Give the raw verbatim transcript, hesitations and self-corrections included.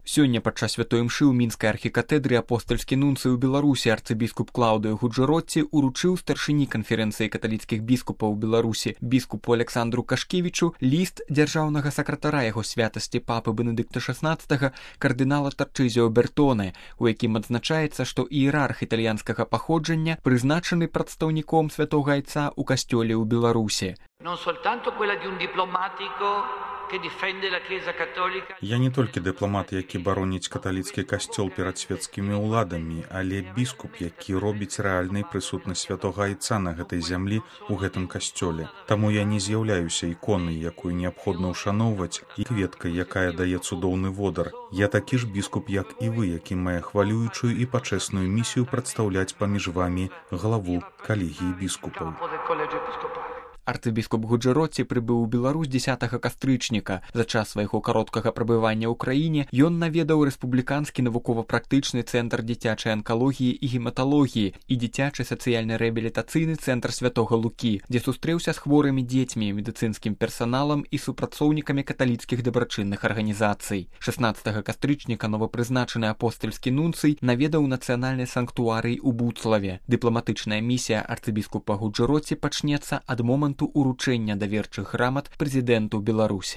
Сёння падчас святой імшы ў мінскай архікатэдры апостальскі нунцый у Беларусі арцыбіскуп Клаўдыё Гуджэротці уручыў старшыні канферэнцыі каталіцкіх біскупаў Беларусі біскупу Александру Кашкевічу ліст дзяржаўнага сакратара яго святасці папы Бенедыкта шаснаццатага кардынала Тарчызіо Бертоне, у якім адзначаецца, што іерарх італьянскага паходжання прызначаны прадстаўніком святога айца ў касцёле ў Беларусі. Я не толькі дыпламат, які бароніць каталіцкі касцёл перад свецкімі ўладамі, але біскуп, які робіць рэальнай прысутнасць святога айца на гэтай зямлі ў гэтым касцёле. Таму я не з'яўляюся іконай, якую неабходна ўшаноўваць, і кветкай, якая дае цудоўны водар. Я такі ж біскуп, як і вы, які мае хвалюючую і пачэсную місію прадстаўляць паміж вамі главу калегіі біскупаў. Арцыбіскуп Гуджэротці прыбыў у Беларусь дзесятага кастрычніка. За час свайго кароткага прабывання ў краіне ён наведаў рэспубліканскі навукова-практычны цэнтр дзіцячай анкалогіі і гематалогіі і дзіцячы сацыяльна-рэабілітацыйны цэнтр святога Лукі, дзе сустрэўся з хворымі дзецьмі, медыцынскім персаналам і супрацоўнікамі каталіцкіх дабрачынных арганізацый. шаснаццатага кастрычніка новапрызначаны апостальскі нунцый наведаў нацыянальны санктуарый у Буцлаве. Дыпламатычная місія арцыбіскупа Гуджэротці пачнецца ад моманту уручэння даверчых грамат прэзідэнту Беларусі.